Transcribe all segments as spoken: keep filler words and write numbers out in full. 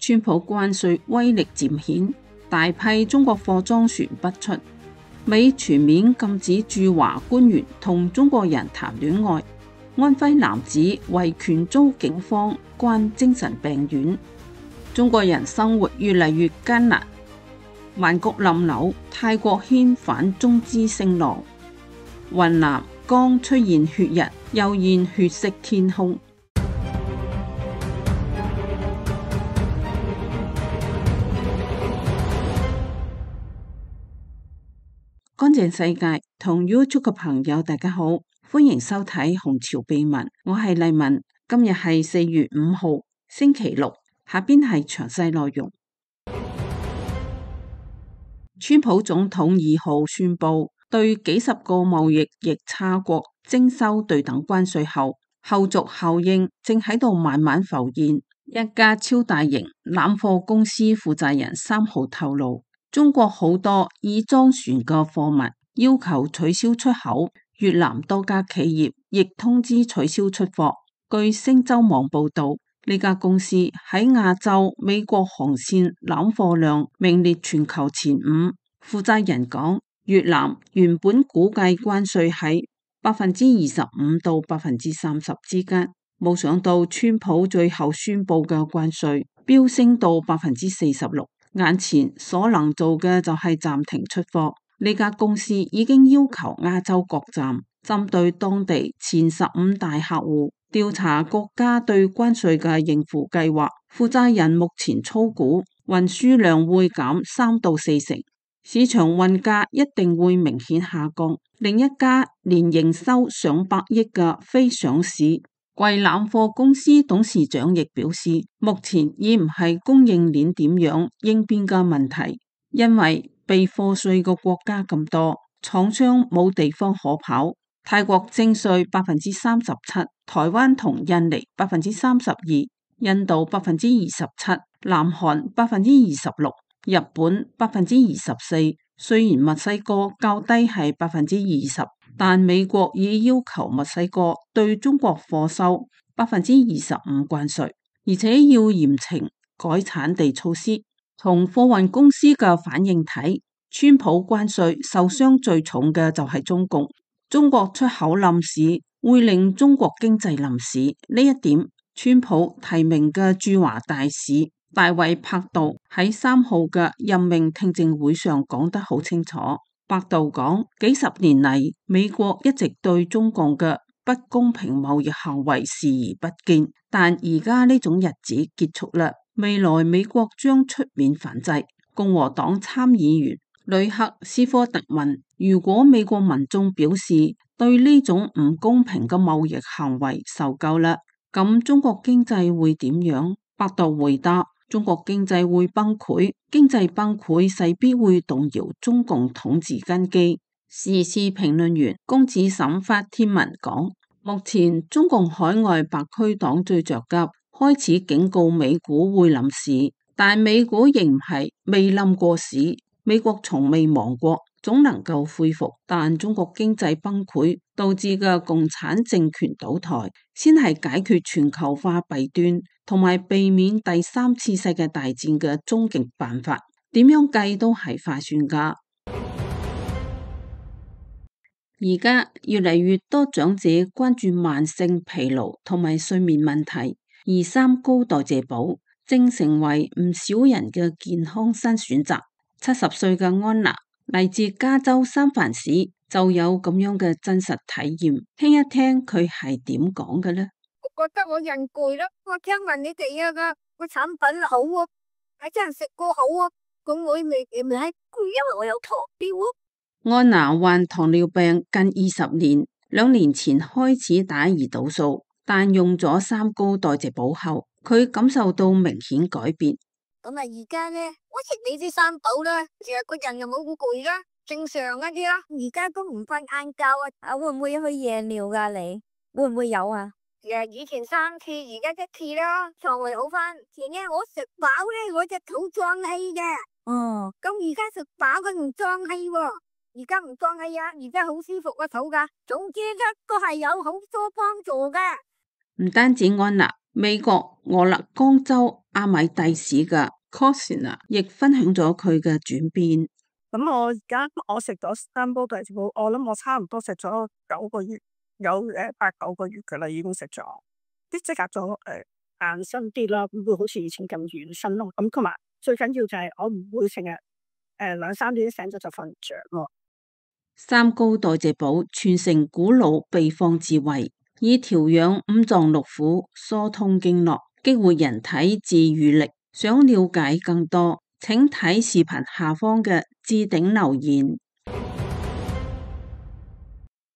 川普關稅威力漸顯，大批中國貨裝船不出。美全面禁止駐華官員同中國人談戀愛。安徽男子維權遭警方關精神病院。中國人生活越嚟越艱難。曼谷冧樓，泰國掀反中資聲浪。雲南剛出現血日，又現血色天空。乾淨世界同 YouTube 嘅朋友大家好，歡迎收睇紅潮秘聞，我係麗文。今日係四月五號星期六，下邊係詳細內容。川普總統二號宣布對幾十個貿易逆差國徵收對等關稅後，後續效應正喺度慢慢浮現。一家超大型攬貨公司負責人三號透露，中國好多已裝船嘅貨物要求取消出口，越南多家企業亦通知取消出貨。據星洲網報道，呢家公司喺亞洲、美國航線攬貨量名列全球前五。負責人講，越南原本估計關稅喺百分之二十五到百分之三十之間，冇想到川普最後宣布嘅關稅飆升到百分之四十六。眼前所能做嘅就係暫停出貨。呢家公司已經要求亞洲各站針對當地前十五大客戶調查國家對關稅嘅應付計劃。負責人目前粗估運輸量會減三到四成，市場運價一定會明顯下降。另一家年營收上百億嘅非上市櫃攬貨公司董事長亦表示，目前已唔係供應鏈點樣應變嘅問題，因為被課稅嘅國家咁多，廠商冇地方可跑。泰國徵稅百分之三十七，台灣同印尼百分之三十二，印度百分之二十七，南韓百分之二十六，日本百分之二十四。雖然墨西哥較低係百分之二十，但美國已要求墨西哥對中國貨收百分之二十五關稅，而且要嚴懲改產地措施。從貨運公司嘅反應睇，川普關稅受傷最重嘅就係中共。中國出口冧市會令中國經濟冧市，呢一點川普提名嘅駐華大使大衛柏杜喺三號嘅任命聽證會上講得好清楚。柏杜講，幾十年嚟，美國一直對中共嘅不公平貿易行為視而不見，但而家呢種日子結束啦。未來美國將出面反制。共和黨參議員呂克斯科特問，如果美國民眾表示對呢種唔公平嘅貿易行為受夠啦，咁中國經濟會點樣？柏杜回答，中國經濟會崩潰，經濟崩潰勢必會動搖中共統治根基。時事評論員龔子沈發帖文講，目前中共海外白區黨最着急，開始警告美股會冧市，但美股仍唔係未冧過市，美國從未亡過，總能夠恢復。但中國經濟崩潰導致嘅共產政權倒台，先係解決全球化弊端同埋避免第三次世界大戰嘅終極辦法。點樣計都係划算噶。而家越嚟越多長者關注慢性疲勞同埋睡眠問題，而三高代謝寶正成為唔少人嘅健康新選擇。七十歲嘅安娜嚟自加州三藩市，就有咁樣嘅真實體驗。聽一聽佢係點講嘅呢？我覺得我人攰咯，我聽聞你哋啊個個產品好啊，係真係食過好啊，咁我未唔係攰，因為我有糖尿啊。安娜患糖尿病近二十年，兩年前開始打胰島素，但用咗三高代謝寶後，佢感受到明顯改變。咁啊，而家咧，我食你啲三寶啦，成日個人又冇咁攰啦，正常一啲啦。而家都唔瞓晏覺啊，啊會唔會去夜尿噶？你會唔會有啊？誒，以前三次，而家一次啦，腸胃好翻。前日我食飽咧，我隻肚脹氣嘅。哦，咁而家食飽佢唔脹氣喎。而家唔脹氣啊，而家好舒服個肚噶。總之一個係有好多幫助噶。唔單止安娜，美國俄勒岡州阿米蒂市嘅 Cosina 亦分享咗佢嘅轉變。咁我而家我食咗三煲大字煲，我諗我差唔多食咗九個月，有誒八九個月噶啦，已經食咗，啲即刻咗誒硬身啲啦，唔會好似以前咁軟身咯。咁同埋最緊要就係我唔會成日誒兩三點醒咗就瞓唔着咯。三高代謝寶傳承古老秘方智慧，以調養五臟六腑、疏通經絡、激活人體自愈力。想了解更多，請睇視頻下方嘅置頂留言。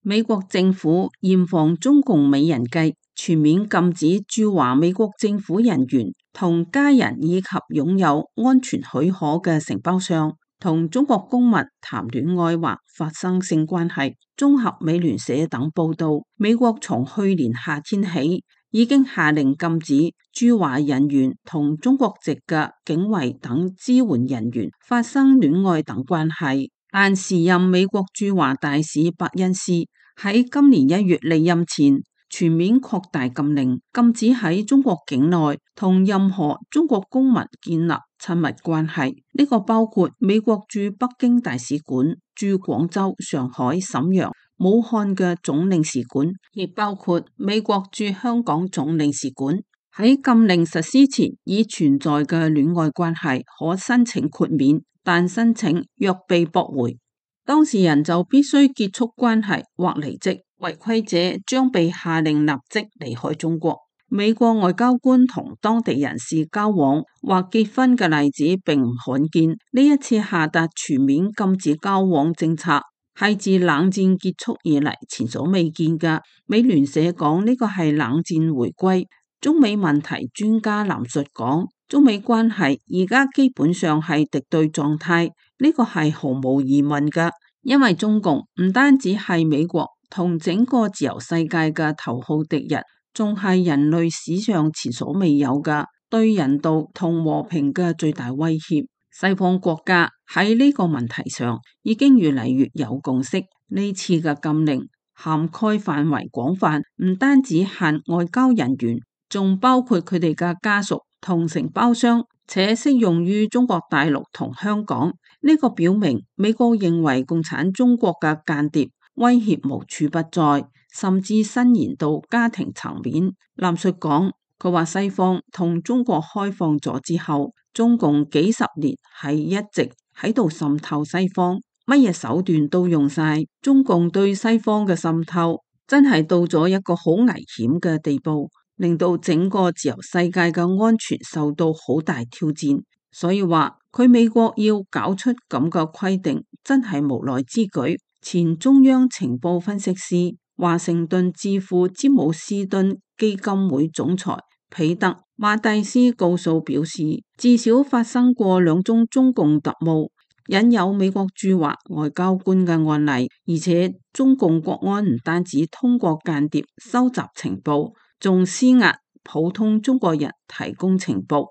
美國政府嚴防中共美人計，全面禁止駐華美國政府人員同家人以及擁有安全許可嘅承包商同中國公民談戀愛或發生性關係。綜合美聯社等報道，美國從去年夏天起已經下令禁止駐華人員同中國籍嘅警衛等支援人員發生戀愛等關係。但時任美國駐華大使伯恩斯喺今年一月離任前，全面擴大禁令，禁止喺中國境內同任何中國公民建立親密關係。呢個包括美國駐北京大使館、駐廣州、上海、瀋陽、武漢嘅總領事館，亦包括美國駐香港總領事館。喺禁令實施前已存在嘅戀愛關係可申請豁免，但申請若被駁回，當事人就必須結束關係或離職，違規者將被下令立即離開中國。美國外交官同當地人士交往或結婚嘅例子並唔罕見，呢一次下達全面禁止交往政策係自冷戰結束以嚟前所未見嘅。美聯社講呢個係冷戰回歸。中美問題專家藍述講，中美關係而家基本上係敵對狀態，呢個係毫無疑問嘅，因為中共唔單止係美國同整個自由世界嘅頭號敵人，仲係人類史上前所未有嘅對人道同和平嘅最大威脅。西方國家喺呢個問題上已經越嚟越有共識，呢次嘅禁令涵蓋範圍廣泛，唔單止限外交人員，仲包括佢哋嘅家屬同承包商，且適用於中國大陸同香港。呢個表明美國認為共產中國嘅間諜威脅無處不在，甚至伸延到家庭層面。藍述講，佢話西方同中國開放咗之後，中共幾十年係一直喺度滲透西方，乜嘢手段都用晒。中共對西方嘅滲透真係到咗一個好危險嘅地步，令到整個自由世界嘅安全受到好大挑戰。所以話佢美國要搞出咁嘅規定，真係無奈之舉。前中央情報分析師、華盛頓智庫詹姆斯頓基金會總裁彼得馬蒂斯告訴表示，至少發生過兩宗中共特務引誘美國駐華外交官嘅案例，而且中共國安唔單止通過間諜收集情報，仲施壓普通中國人提供情報。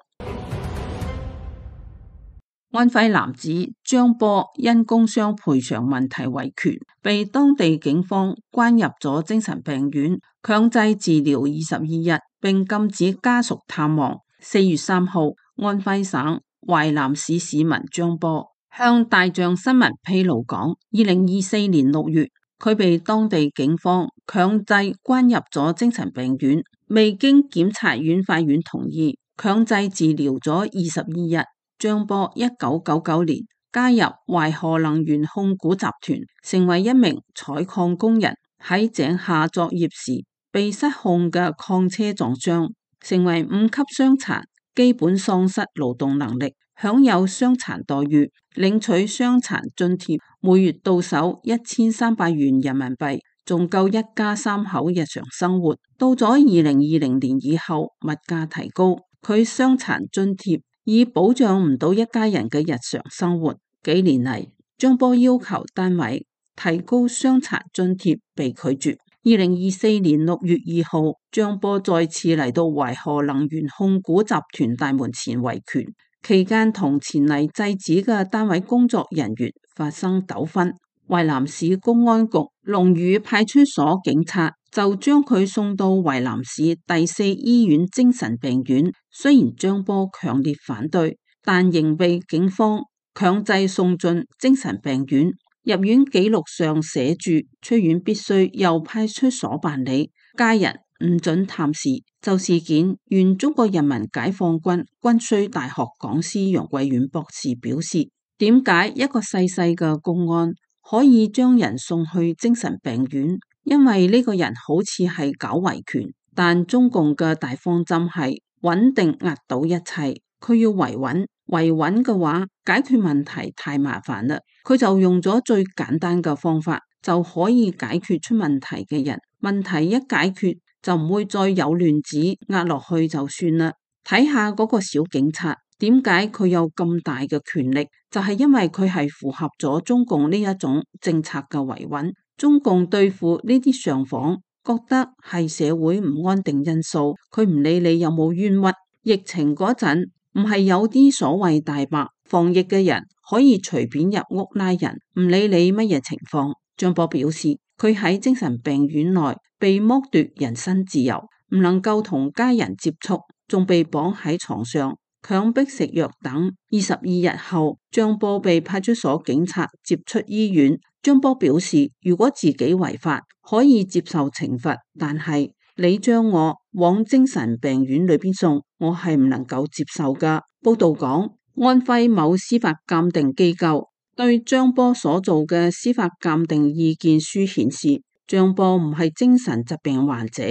安徽男子張波因工傷賠償問題維權，被當地警方關入咗精神病院，強制治療二十二日，並禁止家屬探望。四月三號，安徽省淮南市市民張波向大象新聞披露講，二零二四年六月，佢被當地警方強制關入咗精神病院，未經檢察院法院同意，強制治療咗二十二日。張波一九九九年加入淮河能源控股集團，成為一名採礦工人。喺井下作業時被失控嘅礦車撞傷，成為五級傷殘，基本喪失勞動能力，享有傷殘待遇，領取傷殘津貼，每月到手一千三百元人民幣，仲夠一家三口日常生活。到咗二零二零年以後，物價提高，佢傷殘津貼已保障唔到一家人嘅日常生活。幾年嚟，張波要求單位提高傷殘津貼被拒絕。二零二四年六月二號，張波再次嚟到淮河能源控股集團大門前維權，期間同前嚟制止嘅單位工作人員發生糾紛。淮南市公安局龍宇派出所警察就將佢送到淮南市第四醫院精神病院。雖然張波強烈反對，但仍被警方強制送進精神病院。入院記錄上寫住出院必須由派出所辦理，家人唔准探視。就事件，原中國人民解放軍軍需大學講師楊貴遠博士表示，點解一個細細嘅公安可以將人送去精神病院？因為呢個人好似係搞維權，但中共嘅大方針係穩定壓倒一切，佢要維穩，維穩嘅話解決問題太麻煩啦，佢就用咗最簡單嘅方法就可以解決出問題嘅人，問題一解決就唔會再有亂子，壓落去就算啦。睇下嗰個小警察，點解佢有咁大嘅權力？就係因為佢係符合咗中共呢一種政策嘅維穩。中共對付呢啲上訪，覺得係社會唔安定因素，佢唔理你有冇冤屈。疫情嗰陣唔係有啲所謂大白防疫嘅人可以隨便入屋拉人，唔理你乜嘢情況。張波表示，佢喺精神病院內被剝奪人身自由，唔能夠同家人接觸，仲被綁喺床上，強迫食藥等。二十二日後，張波被派出所警察接出醫院。張波表示，如果自己違法，可以接受懲罰，但係你將我往精神病院裏邊送，我係唔能夠接受噶。報道講，安徽某司法鑑定機構對張波所做嘅司法鑑定意見書顯示，張波唔係精神疾病患者，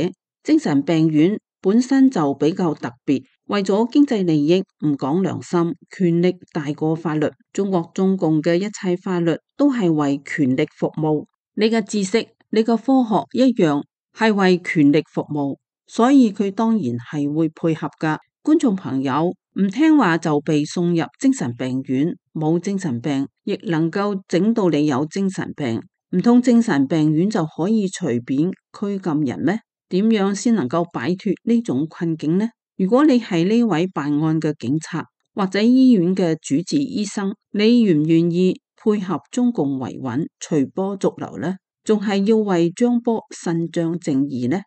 精神病院本身就比較特別，為咗經濟利益唔講良心，權力大過法律。中國中共嘅一切法律都係為權力服務，你嘅知識、你嘅科學一樣係為權力服務，所以佢當然係會配合噶。觀眾朋友，唔聽話就被送入精神病院，冇精神病亦能夠整到你有精神病，唔通精神病院就可以隨便拘禁人咩？點樣先能夠擺脫呢種困境呢？如果你係呢位辦案嘅警察或者醫院嘅主治醫生，你願唔願意配合中共維穩隨波逐流呢？仲係要為張波伸張正義呢？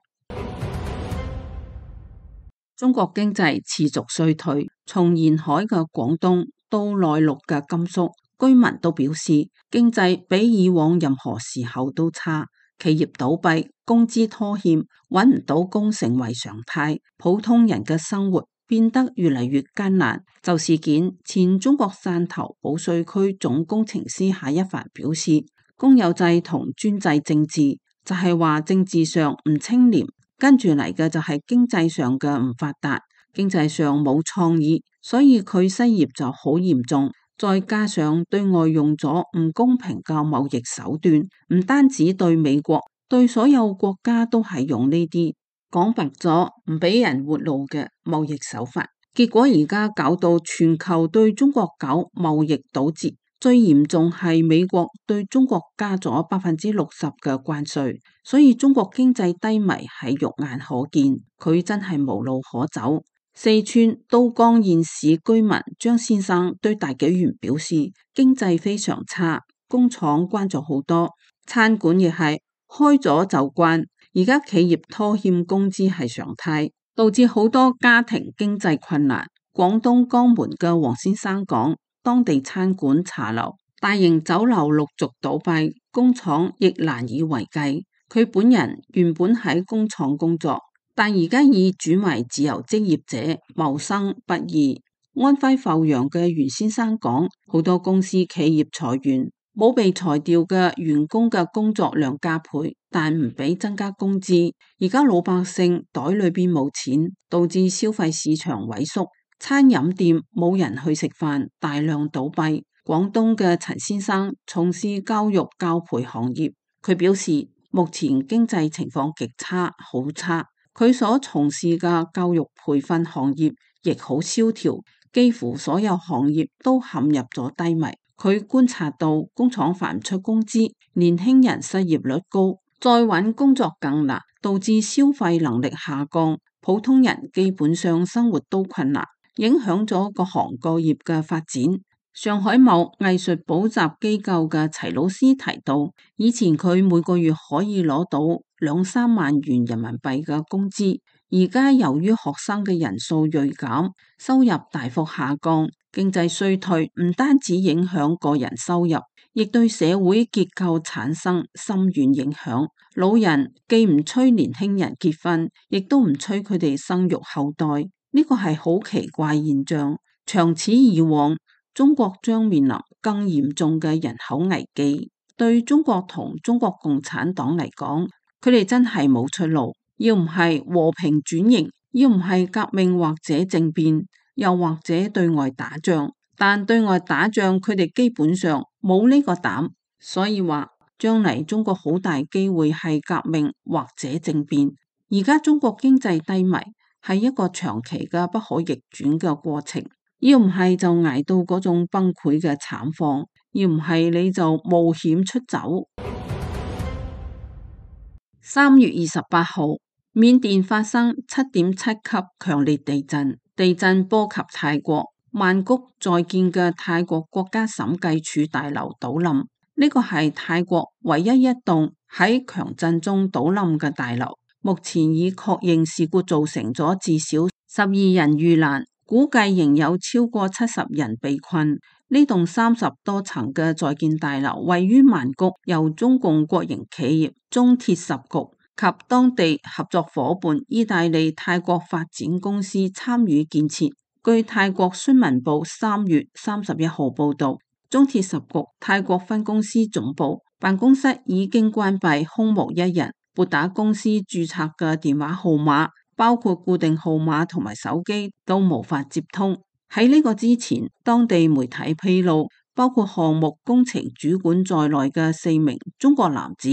中國經濟持續衰退，從沿海嘅廣東到內陸嘅甘肅，居民都表示經濟比以往任何時候都差。企業倒閉，工資拖欠，揾唔到工成為常態，普通人嘅生活變得越嚟越艱難。就事件，前中國汕頭保稅區總工程師夏一凡表示，公有制同專制政治就係話政治上唔清廉，跟住嚟嘅就係經濟上嘅唔發達，經濟上冇創意，所以佢失業就好嚴重。再加上對外用咗唔公平嘅貿易手段，唔單止對美國，對所有國家都係用呢啲講白咗唔俾人活路嘅貿易手法。結果而家搞到全球對中國搞貿易堵截，最嚴重係美國對中國加咗百分之六十嘅關稅，所以中國經濟低迷係肉眼可見，佢真係無路可走。四川都江堰市居民張先生對大紀元表示，經濟非常差，工廠關咗好多，餐館亦係開咗就關，而家企業拖欠工資係常態，導致好多家庭經濟困難。廣東江門嘅黃先生講，當地餐館、茶樓、大型酒樓陸續倒閉，工廠亦難以為繼。佢本人原本喺工廠工作，但而家已轉為自由職業者，謀生不易。安徽阜陽嘅袁先生講，好多公司企業裁員，冇被裁掉嘅員工嘅工作量加倍，但唔俾增加工資。而家老百姓袋裏邊冇錢，導致消費市場萎縮，餐飲店冇人去食飯，大量倒閉。廣東嘅陳先生從事教育教培行業，佢表示目前經濟情況極差，好差。佢所從事嘅教育培訓行業亦好蕭條，幾乎所有行業都陷入咗低迷。佢觀察到工廠發唔出工資，年輕人失業率高，再揾工作更難，導致消費能力下降，普通人基本上生活都困難，影響咗各行各業嘅發展。上海某藝術補習機構嘅齊老師提到，以前佢每個月可以攞到兩三萬元人民幣嘅工資。而家由於學生嘅人數銳減，收入大幅下降，經濟衰退唔單止影響個人收入，亦對社會結構產生深遠影響。老人既唔催年輕人結婚，亦都唔催佢哋生育後代，呢個係好奇怪現象。長此以往，中國將面臨更嚴重嘅人口危機。對中國同中國共產黨嚟講，佢哋真係冇出路。要唔係和平轉型，要唔係革命或者政變，又或者對外打仗。但對外打仗，佢哋基本上冇呢個膽，所以話將嚟中國好大機會係革命或者政變。而家中國經濟低迷，係一個長期嘅不可逆轉嘅過程。要唔係就捱到嗰種崩潰嘅慘況，要唔係你就冒險出走。三月二十八號，緬甸發生七點七級強烈地震，地震波及泰國曼谷在建嘅泰國國家審計處大樓倒冧，呢個係泰國唯一一棟喺強震中倒冧嘅大樓。目前已確認事故造成咗至少十二人遇難，估計仍有超過七十人被困。呢棟三十多層嘅在建大樓位於曼谷，由中共國營企業中鐵十局及當地合作夥伴意大利泰國發展公司參與建設。據泰國新聞報三月三十一號報道，中鐵十局泰國分公司總部辦公室已經關閉，空無一人，撥打公司註冊嘅電話號碼，包括固定號碼同埋手機都無法接通。喺呢個之前，當地媒體披露，包括項目工程主管在內嘅四名中國男子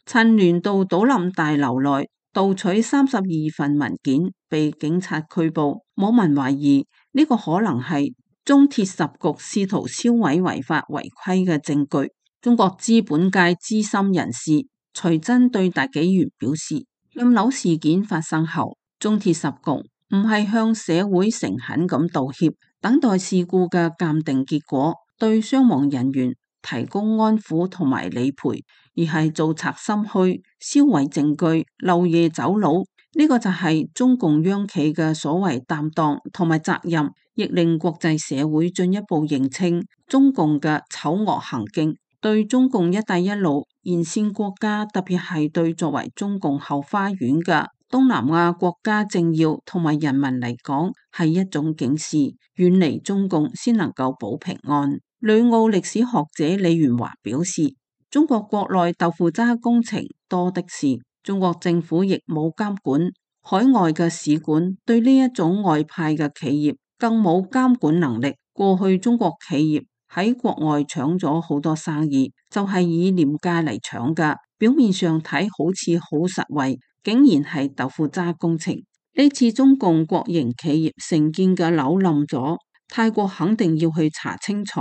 趁亂到倒冧大樓內盜取三十二份文件，被警察拘捕。網民懷疑呢個可能係中鐵十局試圖銷毀違法違規嘅證據。中國資本界資深人士徐真對大紀元表示，冧樓事件發生後，中鐵十局唔係向社會誠懇咁道歉，等待事故嘅鑑定結果，對傷亡人員提供安撫同埋理賠，而係做賊心虛、銷毀證據、漏夜走佬。呢個就係中共央企嘅所謂擔當同埋責任，亦令國際社會進一步認清中共嘅醜惡行徑。對中共一帶一路沿線國家，特別係對作為中共後花園嘅東南亞國家政要同埋人民嚟講，係一種警示，遠離中共先能夠保平安。旅澳歷史學者李元華表示，中國國內豆腐渣工程多的是，中國政府亦冇監管，海外嘅使館對呢一種外派嘅企業更冇監管能力。過去中國企業喺國外搶咗好多生意，就係以廉價嚟搶㗎，表面上睇好似好實惠，竟然係豆腐渣工程。呢次中共國營企業承建嘅樓冧咗，泰國肯定要去查清楚，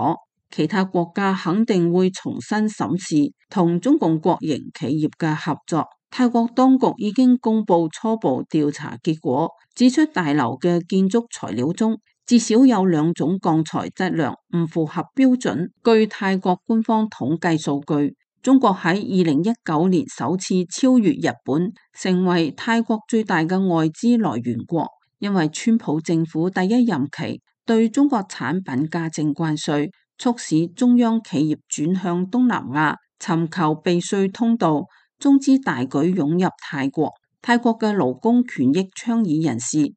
其他國家肯定會重新審視同中共國營企業嘅合作。泰國當局已經公布初步調查結果，指出大樓嘅建築材料中至少有兩種鋼材質量唔符合標準。據泰國官方統計數據，中國喺二零一九年首次超越日本，成為泰國最大嘅外資來源國。因為川普政府第一任期對中國產品加徵關稅，促使中央企業轉向東南亞，尋求避稅通道，中資大舉湧入泰國。泰國嘅勞工權益倡議人士吉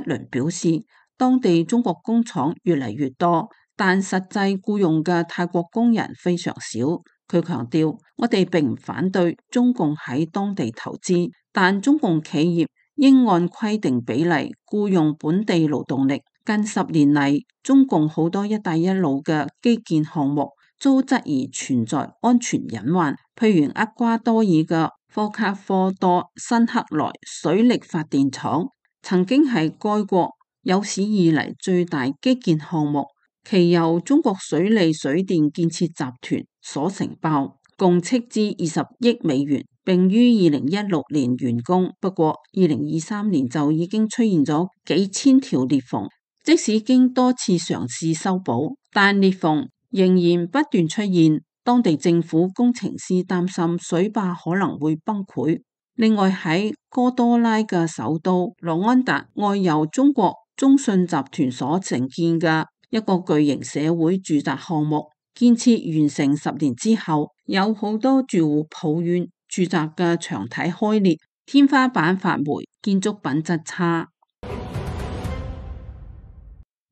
倫表示，當地中國工廠越嚟越多，但實際僱用嘅泰國工人非常少。佢強調，我哋並唔反對中共喺當地投資，但中共企業應按規定比例僱用本地勞動力。近十年嚟，中共好多一帶一路嘅基建項目遭質疑存在安全隱患，譬如厄瓜多爾嘅科卡科多辛克萊水力發電廠，曾經係該國有史以嚟最大基建項目，其由中國水利水電建設集團所承包，共斥資二十億美元，並於二零一六年完工。不過，二零二三年就已經出現咗幾千條裂縫。即使經多次嘗試修補，但裂縫仍然不斷出現。當地政府工程師擔心水壩可能會崩潰。另外喺哥多拉嘅首都羅安達外由中國中信集團所承建嘅一個巨型社會住宅項目，建設完成十年之後，有好多住戶抱怨住宅嘅牆體開裂、天花板發霉、建築品質差。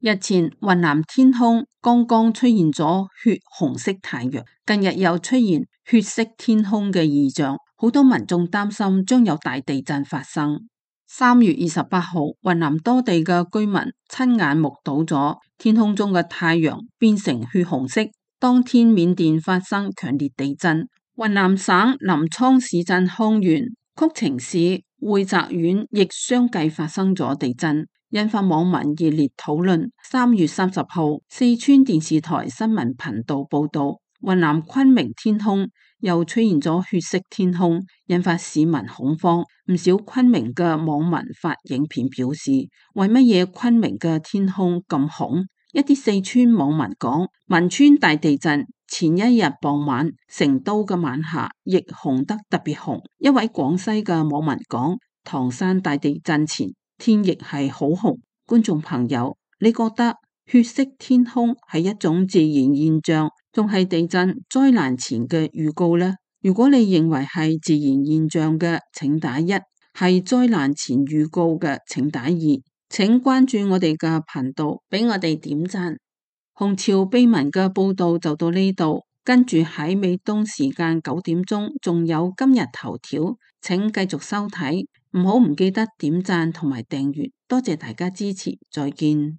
日前雲南天空剛剛出現咗血紅色太陽，近日又出現血色天空嘅異象，好多民眾擔心將有大地震發生。三月二十八號，雲南多地嘅居民親眼目睹咗天空中嘅太陽變成血紅色。當天緬甸發生強烈地震，雲南省臨滄市鎮康源、曲靖市會澤縣亦相繼發生咗地震，引發網民熱烈討論。三月三十號，四川電視台新聞頻道報道，雲南昆明天空又出現咗血色天空，引發市民恐慌。唔少昆明嘅網民發影片表示，為乜嘢昆明嘅天空咁紅？一啲四川網民講，汶川大地震前一日傍晚，成都嘅晚霞亦紅得特別紅。一位廣西嘅網民講，唐山大地震前天亦係好紅。觀眾朋友，你覺得血色天空係一種自然現象，仲係地震災難前嘅預告呢？如果你認為係自然現象嘅，請打一；係災難前預告嘅，請打二。請關注我哋嘅頻道，俾我哋點讚。紅潮秘聞嘅報道就到呢度，跟住喺美東時間九點鐘仲有今日頭條，請繼續收睇，唔好唔記得點讚同埋訂閱，多謝大家支持，再見。